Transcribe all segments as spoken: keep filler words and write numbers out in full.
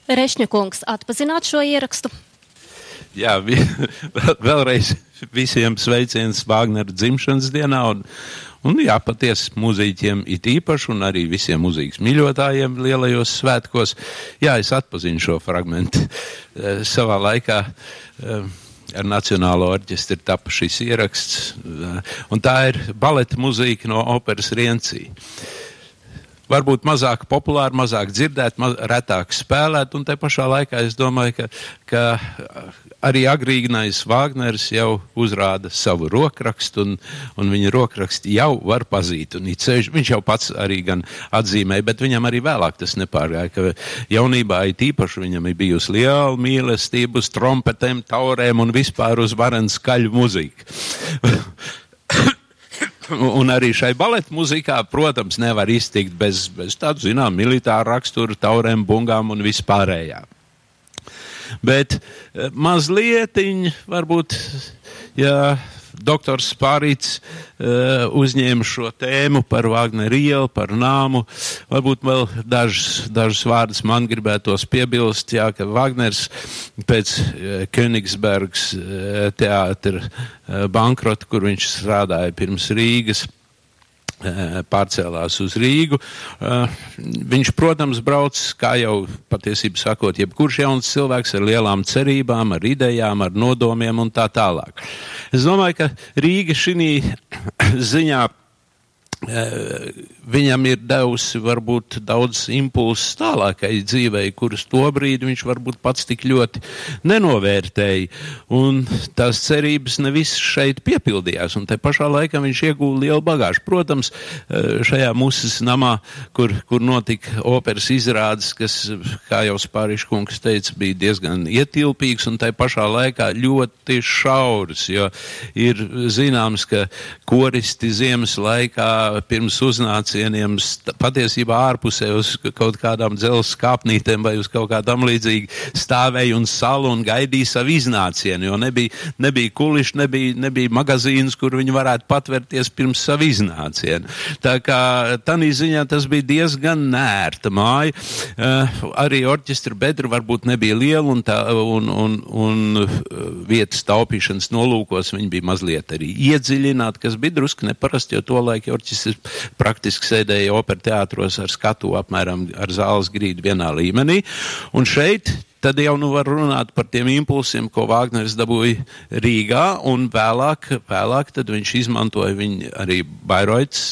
Rešņakungs, atpazināt šo ierakstu? Jā, vi, vēlreiz visiem sveiciens Vāgnera dzimšanas dienā un, un jā, patiesi mūziķiem it īpaši un arī visiem mūzikas mīļotājiem lielajos svētkos. Jā, es atpazinu šo fragmentu. Savā laikā ar Nacionālo orķestri tapa šis ieraksts, un tā ir baleta mūzika no operas Rienci. Varbūt mazāk populāri, mazāk dzirdēt, maz, retāk spēlēt, un te pašā laikā es domāju, ka, ka arī agrīgnais Vāgners jau uzrāda savu rokrakstu, un, un viņa rokraksti jau var pazīt, un ceļš, viņš jau pats arī gan atzīmēja, bet viņam arī vēlāk tas nepārgāja, ka jaunībā it īpaši viņam ir bijusi liela mīlestība uz trompetēm, taurēm un vispār uz varenu skaļu muziku. Un arī šai baleta muzikā, protams, nevar iztikt bez, bez tādu, zinām, militāru raksturu, taurēm, bungām un vispārējā. Bet mazlietiņ, varbūt, ja doktors Spārīts uh, uzņēma šo tēmu par Vāgneru ielu, par nāmu, varbūt vēl dažus, dažus vārdus man gribētos piebilst, jā, ka Vāgners pēc uh, Königsbergas uh, teātra uh, bankrota, kur viņš strādāja pirms Rīgas, pārcēlās uz Rīgu. Viņš, protams, brauc, kā jau patiesībā sakot, jebkurš jauns cilvēks ar lielām cerībām, ar idejām, ar nodomiem un tā tālāk. Es domāju, ka Rīga šī ziņā viņam ir devusi varbūt daudz impulsus tālākai dzīvei, kuras tobrīd viņš varbūt pats tik ļoti nenovērtēja. Un tās cerības nevis šeit piepildījās, un te pašā laikā viņš iegūda lielu bagāžu. Protams, šajā Musas namā, kur, kur notika operas izrādes, kas, kā jau Spāriškungs teica, bija diezgan ietilpīgs un te pašā laikā ļoti šauras, jo ir zināms, ka koristi ziemas laikā pirms uznācieniem patiesībā ārpusē uz kaut kādām dzelzs kāpnītēm vai uz kaut kādām līdzīgi stāvēja un salu un gaidīja savu iznācienu, jo nebija, nebija kuliši, nebija, nebija magazīns, kur viņi varētu patvērties pirms savu iznācienu. Tā kā tanī ziņā tas bija diezgan nērta māja. Uh, arī orķestra bedra varbūt nebija liela un, tā, un, un, un vietas taupīšanas nolūkos viņi bija mazliet arī iedziļināti, kas bija drusku neparasti, jo to laiku orķestra praktiski sēdēja opera teātros ar skatu apmēram ar zāles grīdu vienā līmenī. Un šeit tad jau nu var runāt par tiem impulsiem, ko Vāgners dabūja Rīgā, un vēlāk, vēlāk tad viņš izmantoja viņu arī Bairoits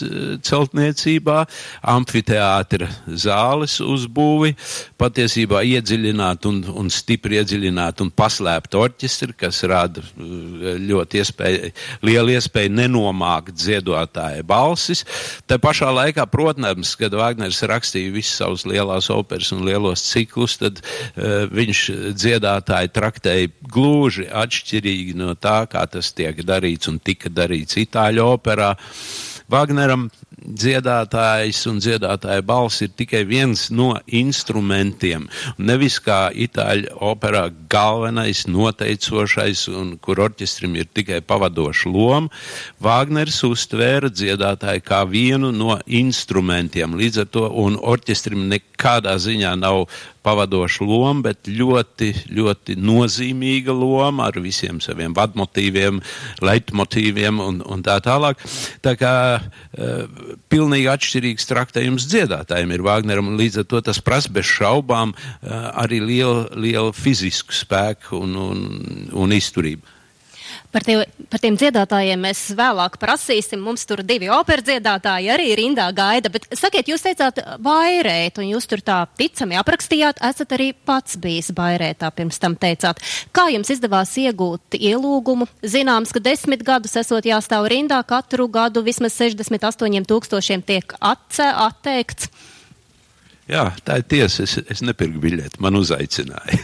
celtniecībā, amfiteātra zāles uzbūvi, patiesībā iedziļināt un, un stipri iedziļināt un paslēpt orķestri, kas rada ļoti iespēju, lielu iespēju nenomākt dziedotāja balsis. Tā pašā laikā, protams, kad Vāgners rakstīja visas savas lielās operas un lielos ciklus, tad uh, viņš dziedātāji traktēja gluži atšķirīgi no tā, kā tas tiek darīts un tika darīts Itāļu operā. Vagneram dziedātājs un dziedātāja balss ir tikai viens no instrumentiem. Nevis kā Itāļu operā galvenais, noteicošais un kur orķestrim ir tikai pavadoša loma. Vāgners uztvēra dziedātāju kā vienu no instrumentiem. Līdz ar to un orķestrim nekādā ziņā nav pavadoša loma, bet ļoti, ļoti nozīmīga loma ar visiem saviem vadmotīviem, leitmotīviem un, un tā tālāk. Tā kā uh, pilnīgi atšķirīgs traktējums dziedātājiem ir Vāgneram, un līdz ar to tas prasa bez šaubām uh, arī lielu, lielu fizisku spēku un, un, un izturību. Par, tie, par tiem dziedātājiem mēs vēlāk prasīsim. Mums tur divi opera dziedātāji arī rindā gaida. Bet sakiet, jūs teicāt Bairēt, un jūs tur tā ticami aprakstījāt, esat arī pats bijis Bairētā, pirms tam teicāt. Kā jums izdevās iegūt ielūgumu? Zināms, ka desmit gadus esot jāstāv rindā, katru gadu vismaz sešdesmit astoņiem tūkstošiem tiek atce, atteikts. Jā, tā ir tiesa. Es, es nepirku biļeti, man uzaicināja.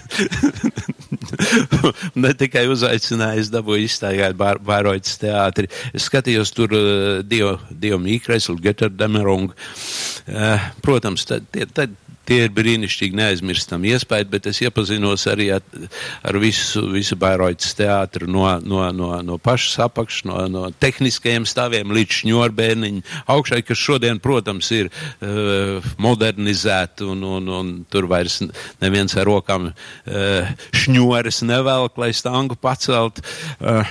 Ne tikai uzaicināja, es dabūju izstāgāt Bairoits teātri. Es skatījos tur uh, Dio, Dio Mīkreslu, Götterdemerungu. Uh, protams, tad, tad tie ir brīnišķīgi neaizmirstam iespēju, bet es iepazinos arī ar, ar visu, visu Bairoitas teātru no, no, no, no pašas apakšas, no, no tehniskajiem stāviem līdz šņorbērniņu augšai, kas šodien, protams, ir uh, modernizēti un, un, un tur vairs neviens ar rokām uh, šņores nevelk, lai stangu pacelt. Uh,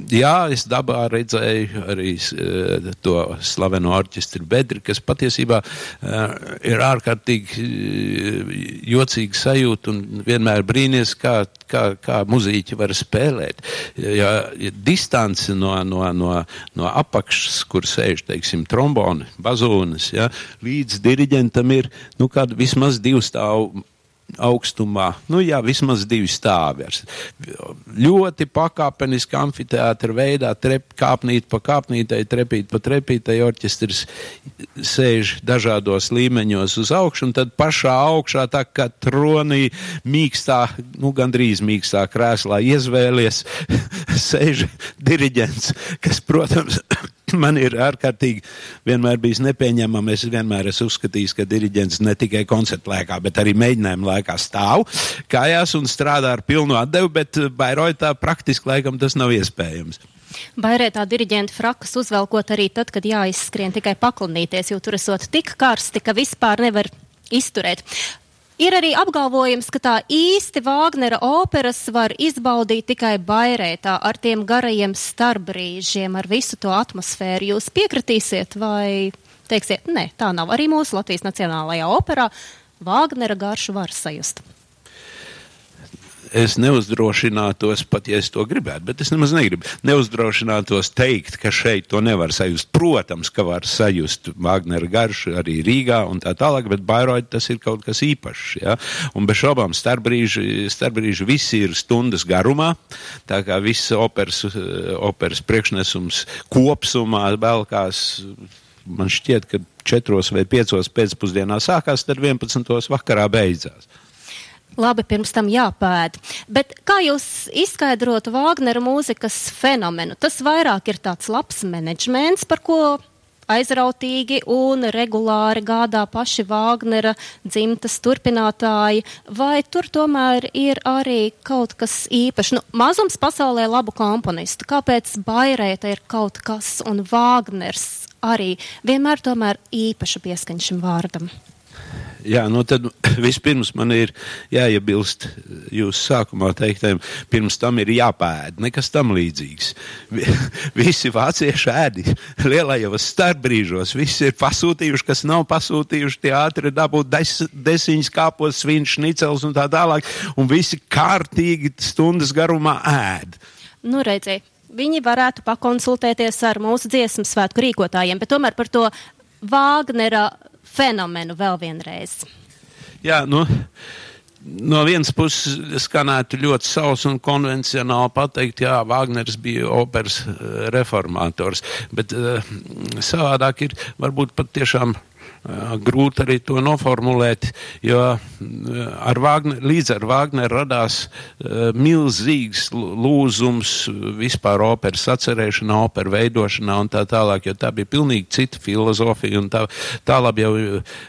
jā, es dabā redzēju arī uh, to slaveno orķestri Bedri, kas patiesībā uh, ir ārkārtīgi jocīga sajūta un vienmēr brīnies, kā, kā, kā muzīķi var spēlēt. Ja, ja distance no, no, no, no apakšas, kur sēž, teiksim, tromboni, bazūnas, ja, līdz diriģentam ir, nu, kāda vismaz divu stāvu augstumā, nu jā, vismaz divi stāvi. Ļoti pakāpeniski amfiteātra veidā, trep, kāpnīt pa kāpnītai, trepīt pa trepītai, orķestris sēž dažādos līmeņos uz augšu, un tad pašā augšā tā kā tronī mīkstā, nu gandrīz mīkstā krēslā iezvēlies, sēž diriģents, kas, protams, man ir ārkārtīgi vienmēr bijis nepieņemami. Es vienmēr esmu uzskatījis, ka diriģents ne tikai koncertu laikā, bet arī mēģinājumu laikā stāv kājās un strādā ar pilnu atdevu, bet Bairoitā praktiski laikam tas nav iespējams. Bairoitā diriģenta frakas uzvelkot arī tad, kad jāizskrien tikai paklanīties, jo tur esot tik karsti, ka vispār nevar izturēt. Ir arī apgalvojums, ka tā īsti Vāgnera operas var izbaudīt tikai Bairoitā ar tiem garajiem starpbrīžiem, ar visu to atmosfēru. Jūs piekritīsiet vai teiksiet, ne, tā nav arī mūsu Latvijas Nacionālajā operā. Vāgnera garšu var sajust. Es neuzdrošinātos, pat ja es to gribētu, bet es nemaz negribu, neuzdrošinātos teikt, ka šeit to nevar sajust. Protams, ka var sajust Vāgnera garšu arī Rīgā un tā tālāk, bet Bairoita tas ir kaut kas īpašs, ja? Un bez šaubām starpbrīži, starpbrīži visi ir stundas garumā, tā kā viss operas, operas priekšnesums kopsumā velkās, man šķiet, ka četros vai piecos pēcpusdienā sākās, tad vienpadsmitos vakarā beidzās. Labi, pirms tam jāpēd. Bet kā jūs izskaidrotu Vāgnera mūzikas fenomenu? Tas vairāk ir tāds labs menedžments, par ko aizrautīgi un regulāri gādā paši Vāgnera dzimtas turpinātāji, vai tur tomēr ir arī kaut kas īpašs? Nu, mazums pasaulē labu komponistu. Kāpēc Bairoita ir kaut kas un Vāgners arī vienmēr tomēr īpaša pieskaņa šim vārdam? Jā, nu tad vispirms man ir jāiebilst jūsu sākumā teiktajiem, pirms tam ir jāpēd, nekas tam līdzīgs. Visi vācieši ēdi lielajos starpbrīžos, visi ir pasūtījuši, kas nav pasūtījuši, tie ātri dabūt des, desiņas kāpos, svins, šnicels un tā tālāk, un visi kārtīgi stundas garumā ēd. Nu, redziet, viņi varētu pakonsultēties ar mūsu dziesmu svētku rīkotājiem, bet tomēr par to Vāgnera fenomenu vēl vienreiz. Jā, nu, no vienas puses skanētu ļoti savs un konvencionāli pateikt, jā, Vāgners bija operas reformators, bet uh, savādāk ir varbūt pat tiešām uh, grūti arī to noformulēt, jo uh, ar Vāgner, līdz ar Vāgneru radās uh, milzīgs lūzums vispār operas atcerēšanā, opera veidošanā un tā tālāk, jo tā bija pilnīgi cita filozofija un tā, tālāk jau uh,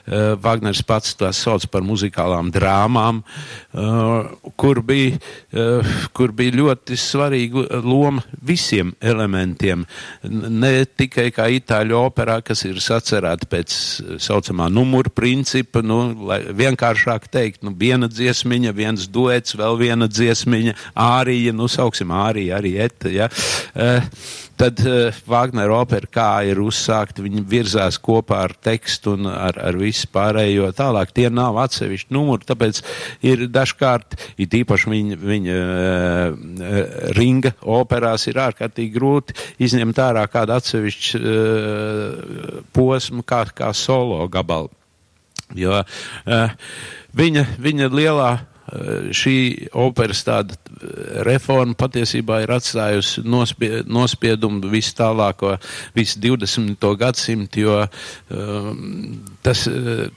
Vāgners pats tās sauc par muzikālām drāmām, uh, kur bija, uh, kur bija ļoti svarīga loma visiem elementiem, ne tikai kā itāļu operā, kas ir sacerēta pēc saucamā numura principa, nu, lai vienkāršāk teikt, nu, viena dziesmiņa, viens duets, vēl viena dziesmiņa, ārija, nu, sauksim ārija, arī eta, ja. Uh, tad uh, Vāgnera opera kā ir uzsākta, viņi virzās kopā ar tekstu un ar, ar visu pārējo tālāk. Tie nav atsevišķi numuri, tāpēc ir dažkārt, it īpaši viņa, viņa uh, ringa operās ir ārkārtīgi grūti izņemt ārā kādu atsevišķu uh, posmu, kā, kā solo gabalu. Jo uh, viņa, viņa lielā šī operas tāda reforma patiesībā ir atstājusi nospie, nospiedumu visu tālāko, visu divdesmito gadsimtu, jo um, tas,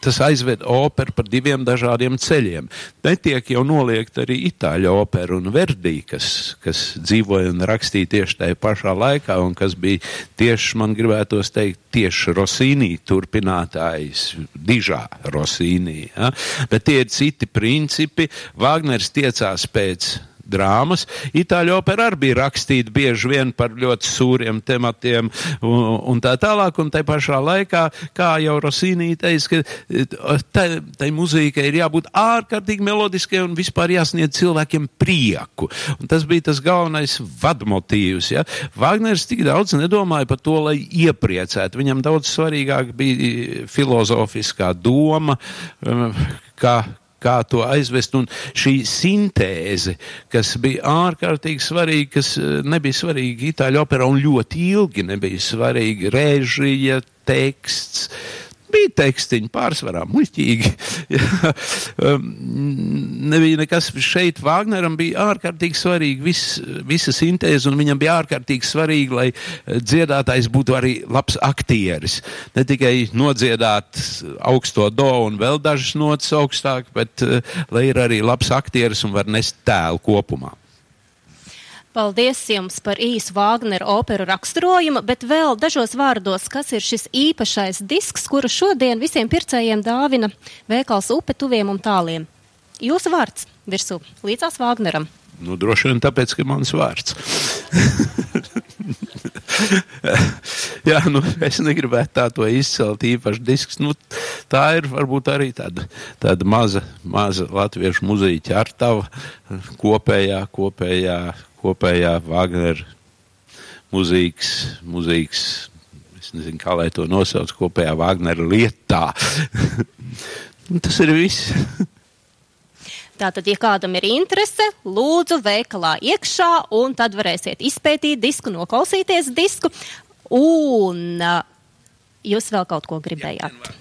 tas aizved operu par diviem dažādiem ceļiem. Netiek jau noliegt arī itāļu operu un Verdi, kas, kas dzīvoja un rakstīja tieši tajā pašā laikā, un kas bija tieši, man gribētos teikt, tieši Rossini turpinātājs, dižā Rossini. Ja? Bet tie ir citi principi. Vāgners tiecās pēc drāmas. Itāļu opera arī bija rakstīta bieži vien par ļoti sūriem tematiem un, un tā tālāk, un tai pašā laikā, kā jau Rossini teica, ka tai, tai mūzikai ir jābūt ārkārtīgi melodiskai un vispār jāsniedz cilvēkiem prieku. Un tas bija tas galvenais vadmotīvs. Ja? Vāgners tik daudz nedomāja par to, lai iepriecētu. Viņam daudz svarīgāk bija filozofiskā doma, kā kā to aizvest, un šī sintēze, kas bija ārkārtīgi svarīga, kas nebija svarīga itāļu operā un ļoti ilgi nebija svarīga, režija, teksts, bija tekstiņi pārsvarā muļķīgi. Nebija nekas šeit. Vāgneram bija ārkārtīgi svarīgi vis, visa sintēze, un viņam bija ārkārtīgi svarīgi, lai dziedātājs būtu arī labs aktieris. Ne tikai nodziedāt augsto do un vēl dažas notas augstāk, bet lai ir arī labs aktieris un var nest tēlu kopumā. Paldies jums par īsu Vāgnera operu raksturojumu, bet vēl dažos vārdos, kas ir šis īpašais disks, kuru šodien visiem pircējiem dāvina veikals Upe tuviem un tāliem. Jūsu vārds virsū, līdzās Vāgneram. Nu, droši vien tāpēc, ka mans vārds. Jā, nu, es negribētu tā to izcelt īpaši disks. Nu, tā ir varbūt arī tāda, tāda maza, maza latviešu muzīķa artava kopējā, kopējā, kopējā Vāgnera muzīkas, muzīkas, es nezinu, kā lai to nosauc, kopējā Vāgnera lietā. Tas ir viss. Tātad, ja kādam ir interese, lūdzu veikalā iekšā, un tad varēsiet izpētīt disku, noklausīties disku. Un uh, jūs vēl kaut ko gribējāt?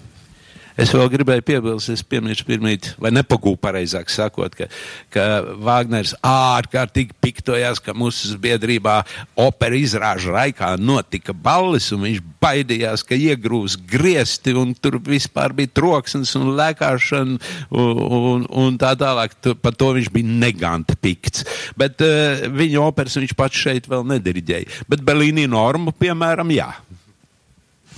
Es vēl gribēju piebilst, es piemiršu pirmīt, vai nepagūpu pareizāk sakot, ka, ka Vāgners ārkārtīgi piktojās, ka mūsu biedrībā opera izrāžu laikā notika balles, un viņš baidījās, ka iegrūs griesti, un tur vispār bija troksnis un lēkāšana, un, un, un tā tālāk. Par to viņš bija neganti pikts. Bet uh, viņa operas viņš pats šeit vēl nediriģēja. Bet Bellini Normu, piemēram, jā.